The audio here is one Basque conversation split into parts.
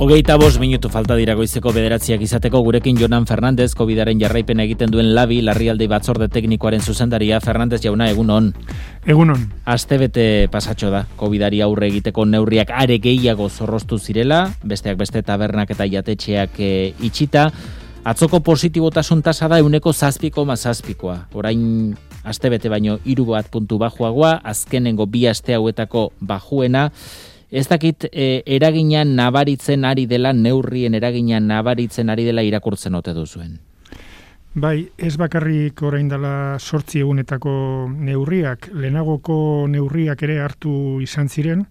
25 minutu falta dira goizeko 9 izateko. Gurekin Jonan Fernandez, Covidaren jarraipen egiten duen LABI, larrialdi batzorde teknikoaren zuzendaria. Fernandez jauna, egunon. Egunon. Astebete pasatxo da, Covidari aurre egiteko neurriak are gehiago zorroztu zirela, besteak beste tabernak eta jatetxeak itxita. Atzoko positibotasun tasa da 7,7. Orain astebete baino 3 puntu bajuagoa, azkenengo 2 aste hauetako bajuena. Ez dakit eragina nabaritzen ari dela, neurrien eragina nabaritzen ari dela irakurtzen ote duzuen. Bai, ez bakarrik orain dela 8 egunetako neurriak, lehenagoko neurriak ere hartu izan ziren,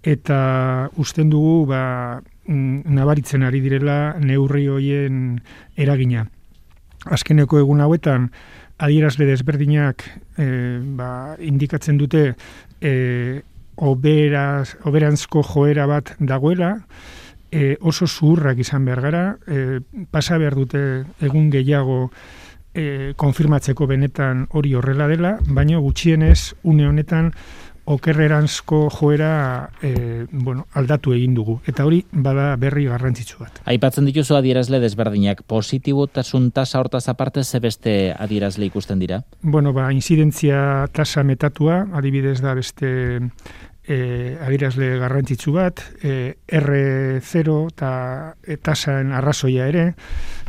eta usten dugu nabaritzen ari direla neurri hoien eragina. Azkeneko egun hauetan, adierazle desberdinak indikatzen dute oberanzko joera bat dagoela, oso zuhurrak izan behar gara, pasa behar dute egun gehiago konfirmatzeko benetan hori horrela dela, baina gutxienez une honetan okerreranzko joera aldatu egin dugu. Eta hori bada berri garrantzitsu bat. Aipatzen dituzu adierazle desberdinak, positibotasun tasa hortaz aparte ze beste adierazle ikusten dira? Inzidentzia tasa metatua, adibidez da beste adierazle garrantzitsu bat, R0 eta tasaen arrazoia ere,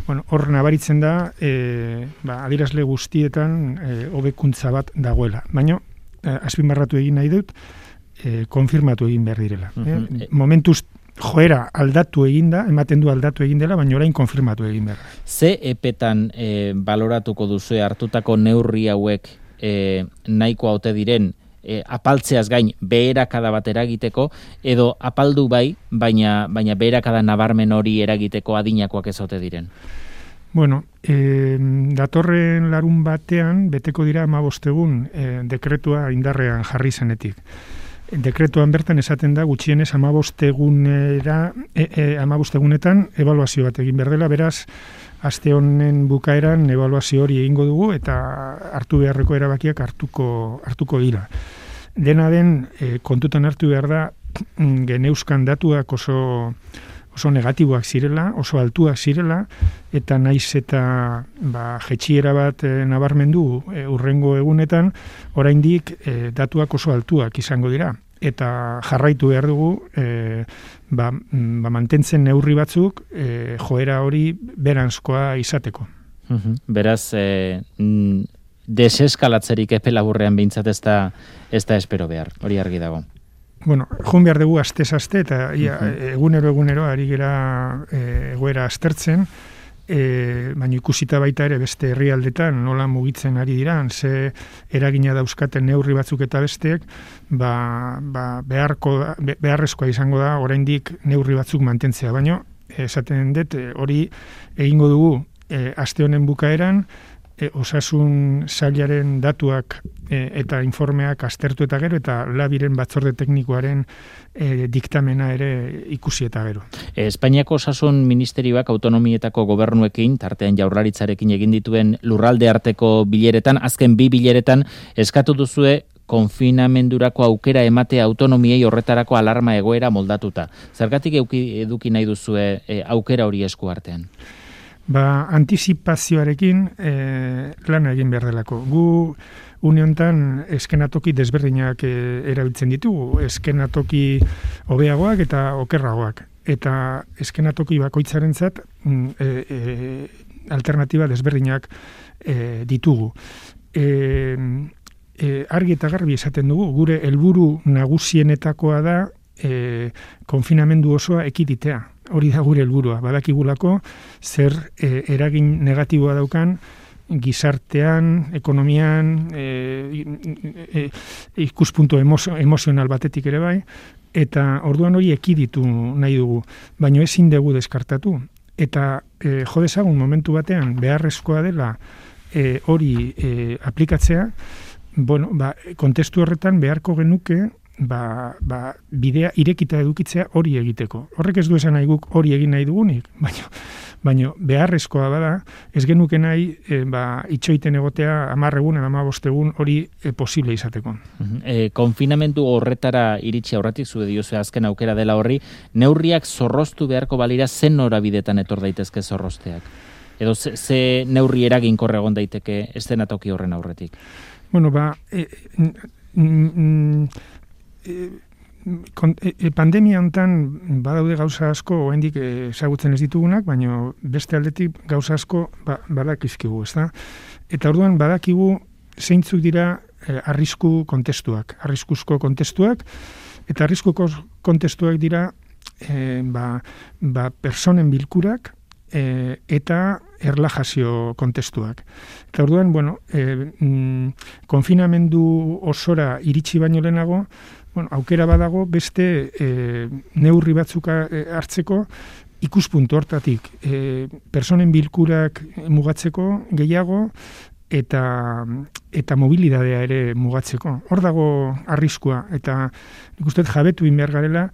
hor nabaritzen da, adierazle guztietan hobekuntza bat dagoela. Baina, azpimarratu egin nahi dut, konfirmatu egin behar direla. Momentuz joera aldatu eginda, ematen du aldatu egin dela, baina orain konfirmatu egin behar. Ze epetan baloratuko duzu hartutako neurri hauek nahiko haute diren, apaltzeaz gain beherakada bat eragiteko, edo apaldu bai, baina beherakada nabarmen hori eragiteko adinakoak ez ote diren? Datorren larun batean beteko dira 15 egun dekretua indarrean jarri zenetik. Dekretuan bertan esaten da gutxienez 15 egunetan ebaluazio bat egin behar dela, beraz, aste honen bukaeran ebaluazio hori egingo dugu eta hartu beharreko erabakiak hartuko dira. Dena den, kontutan hartu behar da, geneuzkan datuak oso negatiboak zirela, oso altuak zirela, eta naiz eta jetxiera bat nabarmendu urrengo egunetan, oraindik datuak oso altuak izango dira. Eta jarraitu behar dugu, mantentzen neurri batzuk, joera hori beranzkoa izateko. Beraz, deseskalatzerik epe laburrean behintzat ez da espero behar, hori argi dago. Joan behar dugu astez-aste eta egunero ari gera egoera aztertzen, baina ikusita baita ere beste herrialdetan nola mugitzen ari diran, ze eragina dauzkaten neurri batzuk eta besteek, beharrezkoa izango da oraindik neurri batzuk mantentzea, baina esaten dut hori egingo dugu aste honen bukaeran, osasun sailaren datuak eta informeak aztertu eta gero, eta LABIren batzorde teknikoaren diktamena ere ikusi eta gero. Espainiako osasun ministerioak autonomietako gobernuekin, tartean Jaurlaritzarekin egin dituen lurralde arteko bileretan, azken 2 bileretan eskatu duzue konfinamendurako aukera emate autonomiei horretarako alarma egoera moldatuta. Zergatik eduki nahi duzue aukera hori esku artean? Antizipazioarekin lana egin behar delako. Gu uniontan eskenatoki desberdinak erabiltzen ditugu, eskenatoki hobeagoak eta okerragoak. Eta eskenatoki bakoitzarentzat alternatiba desberdinak ditugu. Argi eta garbi esaten dugu, gure helburu nagusienetakoa da konfinamendu osoa ekiditea. Hori da gure helburua. Badakigulako zer eragin negatiboa daukan gizartean, ekonomian, ikuspuntu emozional batetik ere bai, eta orduan hori ekiditu nahi dugu, baina ezin dugu deskartatu. Eta jo dezagun momentu batean beharrezkoa dela hori aplikatzea, kontestu horretan beharko genuke bidea irekita edukitzea hori egiteko. Horrek ez du esan nahi guk hori egin nahi dugunik, baina beharrezkoa bada, ez genuke nahi itxoiten egotea 10 egun, 15 egun hori posible izateko. Konfinamendu horretara iritsi aurretik zu diozu azken aukera dela horri, neurriak zorroztu beharko balira zen norabidetan etor daitezke zorrozteak? Edo ze neurri eraginkorra egon daiteke eszenatoki horren aurretik? Bueno, pandemia hontan badaude gauza asko oraindik ezagutzen ez ditugunak, baina beste aldetik gauza asko badakizkigu, ezta? Eta orduan badakigu zeintzuk dira arriskuzko kontestuak, eta arriskuko kontestuak dira personen bilkurak eta erlajazio kontestuak. Eta orduan, konfinamendu osora iritsi baino lehenago, aukera badago beste neurri batzuk hartzeko ikuspuntu hortatik. Personen bilkurak mugatzeko gehiago eta mobilidadea ere mugatzeko. Hor dago arriskua, eta nik uste jabetu behar garela,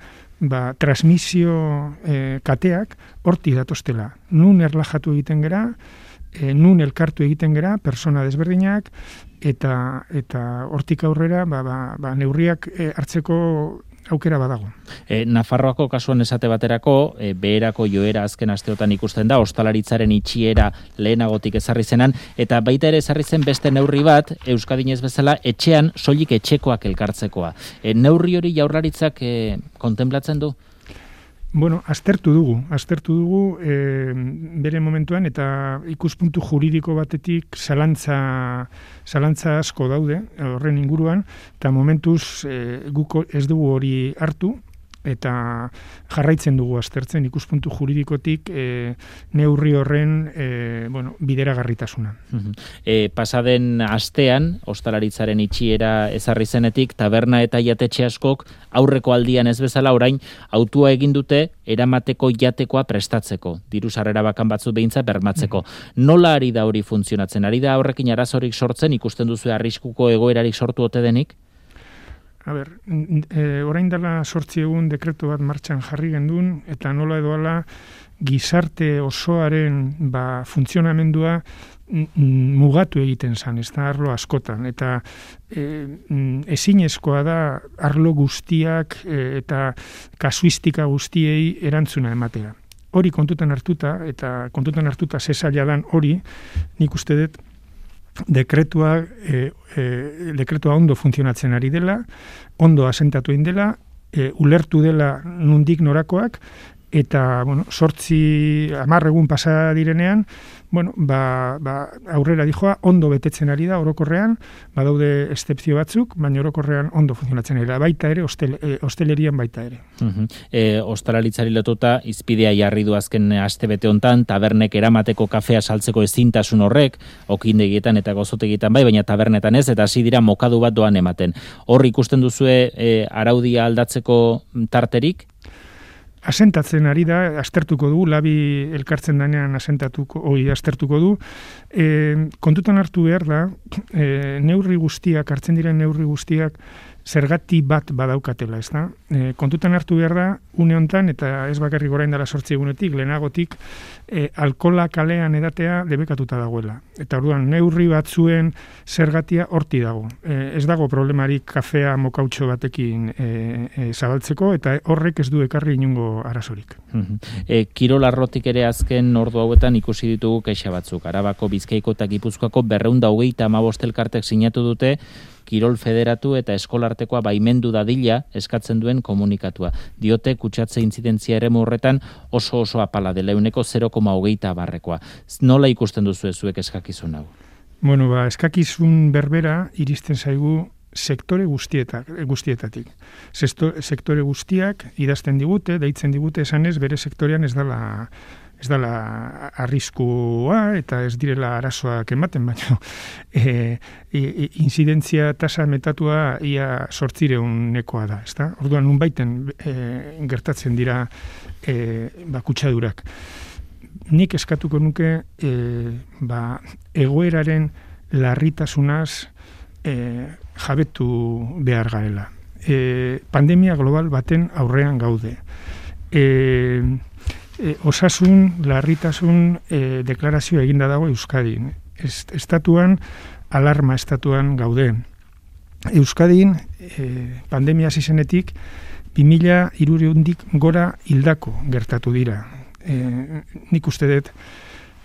transmisio kateak horti datostela. Nun erlajatu egiten gera, nun elkartu egiten gera, persona desberdinak, eta hortik aurrera neurriak hartzeko aukera badago. Nafarroako kasuan esate baterako, beherako joera azken asteotan ikusten da, ostalaritzaren itxiera lehenagotik ezarri zenan, eta baita ere ezarri zen beste neurri bat, Euskadinez bezala, etxean soilik etxekoak elkartzekoa. Neurri hori Jaurlaritzak kontemplatzen du? Bueno, aztertu dugu bere momentuan, eta ikuspuntu juridiko batetik zalantza asko daude horren inguruan, eta momentuz guk ez dugu hori hartu, eta jarraitzen dugu aztertzen ikuspuntu juridikotik neurri horren bideragarritasuna. Pasaden astean, ostalaritzaren itxiera ezarri zenetik, taberna eta jatetxe askok aurreko aldian ez bezala orain autua egin dute eramateko jatekoa prestatzeko, diru sarrera bakan batzu behintzat bermatzeko. Nola ari da hori funtzionatzen? Ari da horrekin arazorik sortzen, ikusten duzu arriskuko egoerarik sortu ote denik? Orain dela 8 egun dekretu bat martxan jarri gendun, eta nola edo ala gizarte osoaren funtzionamendua mugatu egiten zan, ez da arlo askotan, eta ezinezkoa da arlo guztiak eta kasuistika guztiei erantzuna ematea. Hori kontutan hartuta zezaila dan hori, nik uste dut dekretua ondo funtzionatzen ari dela, ondo asentatu egin dela, ulertu dela nundik norakoak, eta 10 egun pasa direnean, aurrera dijoa ondo betetzen ari da orokorrean, badaude excepzio batzuk, baina orokorrean ondo funtzionatzen ari da, baita ere, hostelerian baita ere. Ostalaritzari lotuta, izpidea jarri du azken astebete hontan, tabernek eramateko kafea saltzeko ezintasun horrek, okindegietan eta gozotegietan baina tabernetan ez, eta hasi dira mokadu bat doan ematen. Hor ikusten duzue araudia aldatzeko tarterik? Asentatzen ari da, aztertuko du, labi elkartzen danean aztertuko du. Kontutan hartu behar da, hartzen diren neurri guztiak zergati bat badaukatela, ez da? Kontutan hartu behar da, une hontan, eta ez bakarrik orain dela 8 egunetik, lehenagotik, alkohola kalean edatea debekatuta dagoela. Eta orduan, neurri batzuen zergatia horti dago. Ez dago problemarik kafea mokautxo batekin zabaltzeko, eta horrek ez du ekarri inongo arazorik. Kirol arlotik ere azken ordu hauetan ikusi ditugu kexa batzuk. Arabako, Bizkaiko eta Gipuzkoako 225 elkartek sinatu dute, Kirol federatu eta eskolartekoa baimendu dadila eskatzen duen komunikatua. Diote kutsatze intzidentzia eremu horretan oso apala dela, 0,20%. Nola ikusten duzu zuek eskakizun hau? Eskakizun berbera iristen zaigu sektore guztietatik. Sektore guztiak idazten digute, deitzen digute esanez bere sektorean ez dela arriskua eta ez direla arazoak ematen, baina inzidentzia tasa metatua ia 800-nekoa da, ezta? Orduan nunbaiten gertatzen dira kutsadurak. Nik eskatuko nuke egoeraren larritasunaz jabetu behar garela. pandemia global baten aurrean gaude. Osasun, larritasun deklarazio eginda dago Euskadin. Estatuan, alarma estatuan gaude. Euskadin, pandemia hasi zenetik, 2000 gora hildako gertatu dira. Nik uste dut,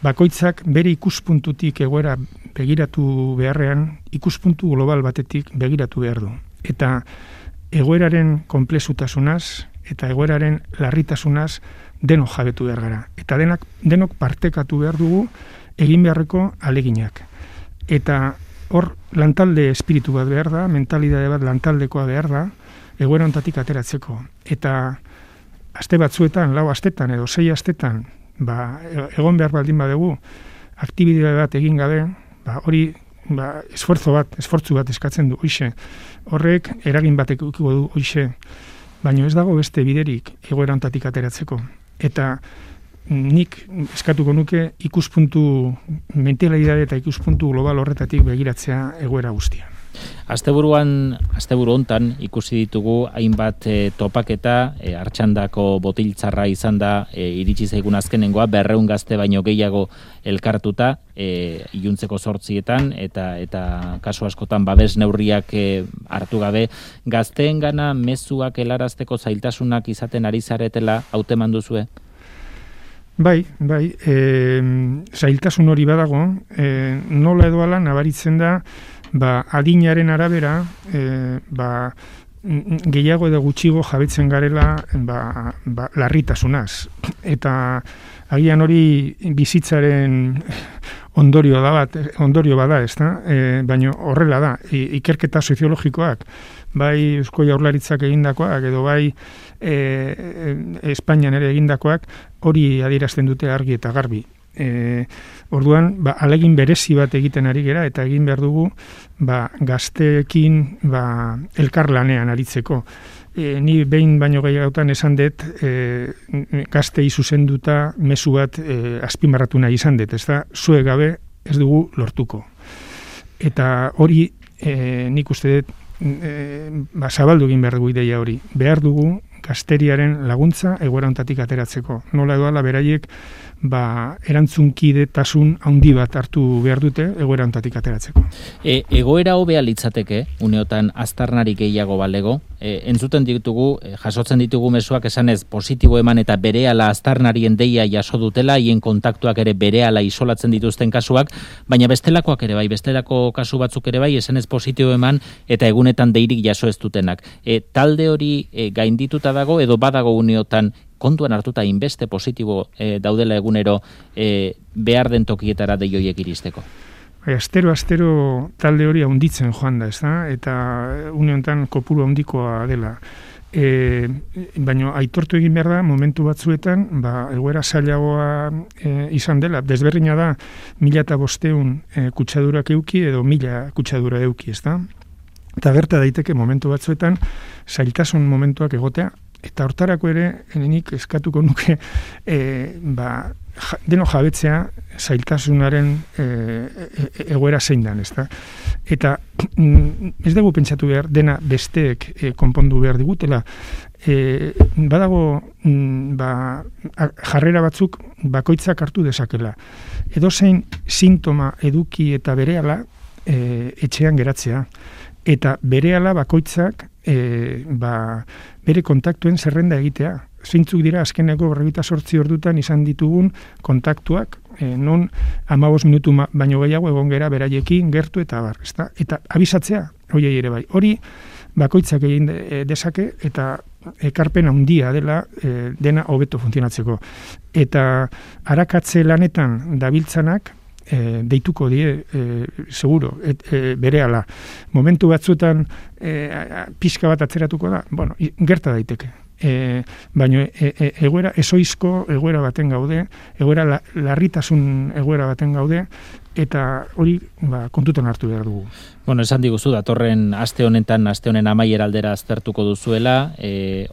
bakoitzak bere ikuspuntutik egoera begiratu beharrean, ikuspuntu global batetik begiratu behar du. Eta egoeraren konplexutasunaz eta egoeraren larritasunaz denok jabetu behar gara. Eta denok partekatu behar dugu egin beharreko aleginak. Eta hor lantalde espiritu bat behar da, mentalidade bat lantaldekoa behar da, egoera honetatik ateratzeko. Eta aste batzuetan, 4 astetan edo 6 astetan, egon behar baldin badugu, aktibitate bat egin gabe, hori esfortzu bat eskatzen du, hoxe. Horrek eragin batek ukiko du, hoxe. Baina ez dago beste biderik egoera honetatik ateratzeko. Eta nik eskatuko nuke ikuspuntu mentalidade eta ikuspuntu global horretatik begiratzea egoera guztia. Asteburu hontan ikusi ditugu hainbat topaketa, Artxandako botiltzarra izan da iritsi zaigun azkenengoa, 200 gazte baino gehiago elkartuta, iluntzeko 8etan, eta kasu askotan babes neurriak hartu gabe, gazteengana mezuak helarazteko zailtasunak izaten ari zaretela hauteman duzue? Bai, zailtasun hori badago, nola edo ala nabaritzen da, adinaren arabera, gehiago edo gutxigo jabetzen garela larritasunaz. Eta agian hori bizitzaren ondorio bada, ezta? Baina horrela da, ikerketa soziologikoak, bai Eusko Jaurlaritzak egindakoak, edo bai Espainian ere egindakoak, hori adierazten dute argi eta garbi. Orduan, alegin berezi bat egiten ari gera, eta egin behar dugu gazteekin elkarlanean aritzeko. Ni behin baino gehiagotan esan dut gaztei zuzenduta mezu bat azpimarratu nahi izan dut, ez da, zuek gabe ez dugu lortuko. Eta hori nik uste dut zabaldu egin behar dugu ideia hori. Behar dugu gazteriaren laguntza egoera honetatik ateratzeko. Nola edoala beraiek erantzunkidetasun handi bat hartu behar dute egoera honetatik ateratzeko. Egoera hobea litzateke, uneotan aztarnari gehiago balego, entzuten ditugu, jasotzen ditugu mezuak esanez positibo eman eta berehala aztarnarien deia jaso dutela, hien kontaktuak ere berehala isolatzen dituzten kasuak, baina bestelakoak ere bai, bestelako kasu batzuk ere bai, esanez positibo eman eta egunetan deirik jaso ez dutenak. Talde hori gaindituta dago edo badago uneotan kontuan hartuta inbeste positibo daudela egunero behar den tokietara deioiek iristeko? Astero talde hori handitzen joan da, eta uniontan kopuru handikoa dela. Baina aitortu egin behar da, momentu batzuetan, egoera zailagoa izan dela. Desberdina da, 1500 kutsadurak euki edo 1000 kutsadura euki, ezta? Eta gerta daiteke momentu batzuetan, zailtasun momentuak egotea, eta hortarako ere, nik eskatuko nuke, deno jabetzea zailtasunaren egoera zein dan, ezta? Eta ez dugu pentsatu behar, dena besteek konpondu behar digutela. Badago jarrera batzuk bakoitzak hartu dezakela. Edozein sintoma eduki eta berehala etxean geratzea. Eta berehala bakoitzak bere kontaktuen zerrenda egitea. Zeintzuk dira azkeneko 48 ordutan izan ditugun kontaktuak, non 15 minutu baino gehiago egon gera beraiekin gertu eta abar, ezta? Eta abisatzea, horiei ere bai. Hori bakoitzak egin dezake eta ekarpen handia dela dena hobeto funtzionatzeko. Eta arakatze lanetan dabiltzanak deituko die, seguro, berehala. Momentu batzuetan pixka bat atzeratuko da, gerta daiteke. Baina egoera ezoizko egoera baten gaude, egoera larritasun egoera baten gaude, eta hori kontutan hartu behar dugu. Bueno, esan diguzu, datorren aste honen amaiera aldera aztertuko duzuela,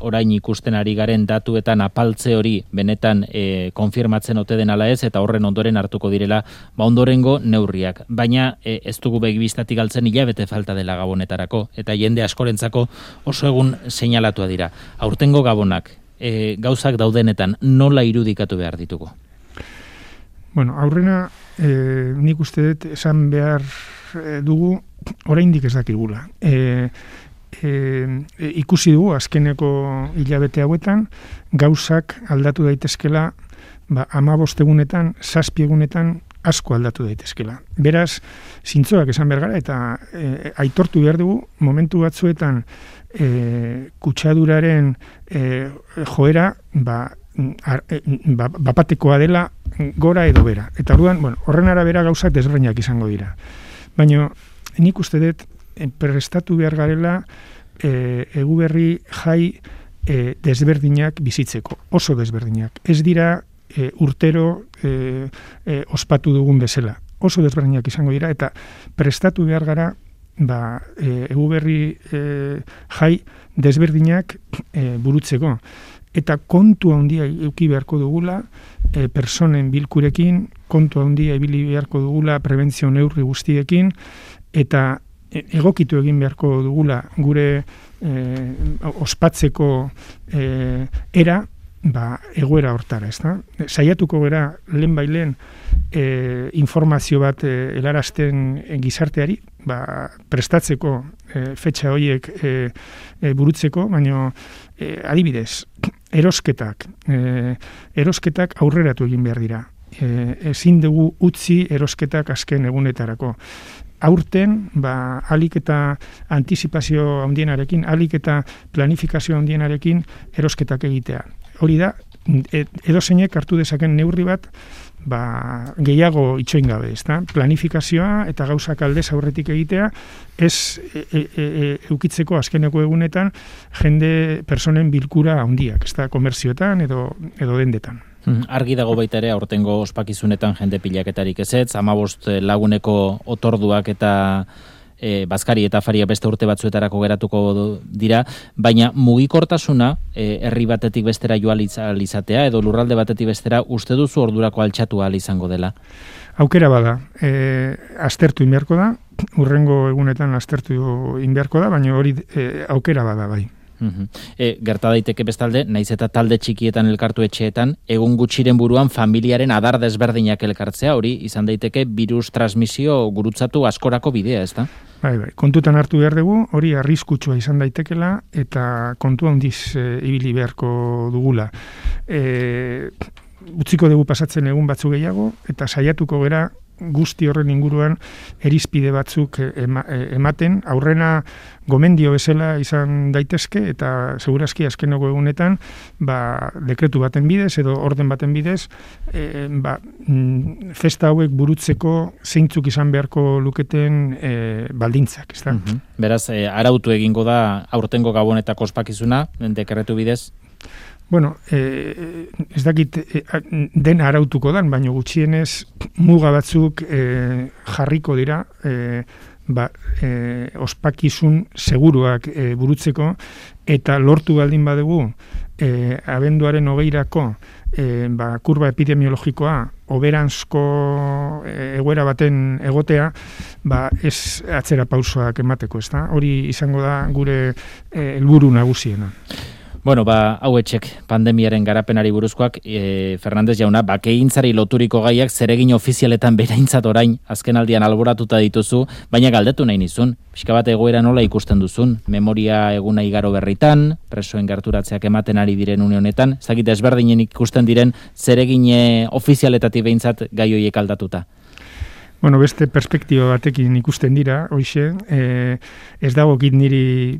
orain ikusten ari garen datuetan apaltze hori benetan konfirmatzen ote den ala ez, eta horren ondoren hartuko direla ondorengo neurriak. Baina ez dugu begibistatik galtzen hilabete falta dela gabonetarako, eta jende askorentzako oso egun seinalatua dira. Aurtengo gabonak, gauzak daudenetan nola irudikatu behar ditugu? Bueno, aurrena nik uste dut esan behar dugu oraindik ez dakigula. Ikusi dugu azkeneko hilabete hauetan gauzak aldatu daitezkela 15 egunetan, 7 egunetan asko aldatu daitezkela. Beraz, zintzoak esan behar gara eta aitortu behar dugu momentu batzuetan kutsaduraren joera bapatekoa dela gora edo bera. Eta orduan, horren arabera gauzak desberdinak izango dira. Baina nik uste dut prestatu behar garela Eguberri jai desberdinak bizitzeko, oso desberdinak. Ez dira urtero ospatu dugun bezala. Oso desberdinak izango dira eta prestatu behar gara Eguberri jai desberdinak burutzeko. Eta kontu handia eduki beharko dugula personen bilkurekin, kontu handia ibili beharko dugula prebentzio neurri guztiekin, eta egokitu egin beharko dugula gure ospatzeko era egoera hortara, ezta? Saiatuko gara lehen informazio bat helarazten gizarteari, prestatzeko fetxa horiek burutzeko, baina adibidez, erosketak aurreratu egin behar dira. Ezin dugu utzi erosketak azken egunetarako. Aurten, alik eta antizipazio handienarekin, alik eta planifikazio handienarekin erosketak egitea. Hori da, edozeinek hartu dezaken neurri bat, gehiago itxoin gabe, ezta? Planifikazioa eta gauzak aldez aurretik egitea, ez eukitzeko azkeneko egunetan jende personen bilkura handiak, ezta? Komerzioetan edo dendetan. Argi dago baita ere aurtengo ospakizunetan jende pilaketarik ezetz, 15 laguneko otorduak eta bazkari eta afaria beste urte batzuetarako geratuko dira, baina mugikortasuna herri batetik bestera joan izatea edo lurralde batetik bestera uste duzu ordurako altxatu ahal izango dela? Aukera bada, aztertu inbeharko da, hurrengo egunetan aztertu inbeharko da, baina hori aukera bada bai. Gerta daiteke bestalde, naiz eta talde txikietan elkartu etxeetan, egun gutxiren buruan familiaren adar desberdinak elkartzea, hori izan daiteke virus transmisio gurutzatu askorako bidea, ezta? Bai, kontutan hartu behar dugu, hori arriskutsua izan daitekela eta kontu handiz ibili beharko dugula. Utziko dugu pasatzen egun batzuk gehiago eta saiatuko gera guzti horren inguruan erizpide batzuk ematen, aurrena gomendio bezala izan daitezke eta segurazki azkeneko egunetan dekretu baten bidez edo orden baten bidez festa hauek burutzeko zeintzuk izan beharko luketen baldintzak, ezta? Beraz, arautu egingo da aurtengo gabonetako ospakizuna dekretu bidez? Bueno, ez dakit den arautuko dan, baina gutxienez muga batzuk jarriko dira ospakizun seguruak burutzeko eta lortu baldin badugu abenduaren 20irako kurba epidemiologikoa hoberanzko egoera baten egotea, ez atzera pausoak emateko, ezta? Hori izango da gure helburu nagusiena. Bueno, hauetxek pandemiaren garapenari buruzkoak, Fernandez jauna, bakeintzari loturiko gaiak zeregin ofizialetan bereintzat orain azkenaldian alboratuta dituzu, baina galdetu nahi nizun, pixka bat egoera nola ikusten duzun, memoria eguna igaro berritan, presoen gerturatzeak ematen ari diren une honetan, ez dakit ezberdinen ikusten diren zeregin ofizialetatik behintzat gai horiek aldatuta. Bueno, beste perspektiba batekin ikusten dira, hoxe, ez dagokit niri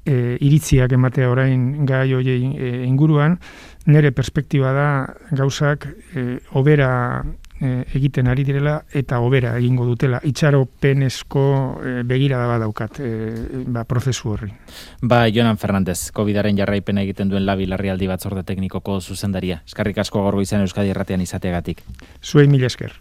iritziak ematea orain gai horiei inguruan, nire perspektiba da gauzak hobera egiten ari direla eta hobera egingo dutela. Itxaropenezko begirada badaukat prozesu horri. Jonan Fernandez, COVID-aren jarraipena egiten duen Labi Larrialdi Batzorde Teknikoko zuzendaria. Eskerrik asko gaur goizean Euskadi Irratian izateagatik. Zuei mila esker.